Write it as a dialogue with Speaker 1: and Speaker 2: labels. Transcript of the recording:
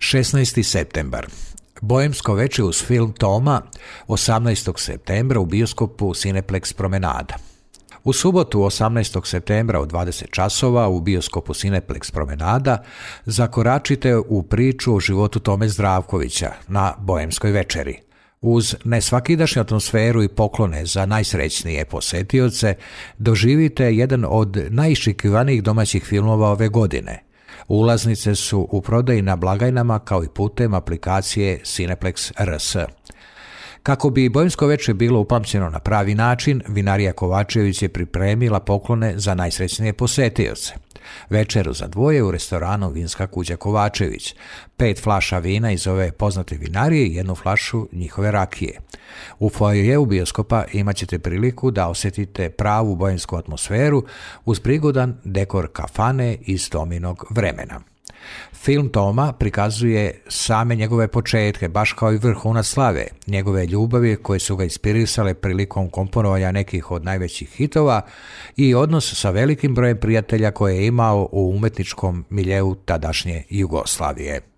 Speaker 1: 16. septembar. Boemsko veče uz film Toma 18. septembra u bioskopu Cineplex Promenada. U subotu 18. septembra u 20 časova u bioskopu Cineplex Promenada zakoračite u priču o životu Tome Zdravkovića na Boemskoj večeri. Uz nesvakidašnju atmosferu i poklone za najsrećnije posetioce doživite jedan od najiščekivanijih domaćih filmova ove godine. Ulaznice su u prodaji na blagajnama kao i putem aplikacije Cineplex RS. Kako bi Boemsko veče bilo upamćeno na pravi način, Vinarija Kovačević je pripremila poklone za najsrećnije posetioce. Večeru za dvoje u restoranu Vinska kuća Kovačević, 5 flaša vina iz ove poznate vinarije i 1 flašu njihove rakije. U foajeu bioskopa imat ćete priliku da osjetite pravu boemsku atmosferu uz prigodan dekor kafane iz Tominog vremena. Film Toma prikazuje same njegove početke, baš kao i vrhunac slave, njegove ljubavi koje su ga inspirisale prilikom komponovanja nekih od najvećih hitova i odnos sa velikim brojem prijatelja koje je imao u umetničkom miljeu tadašnje Jugoslavije.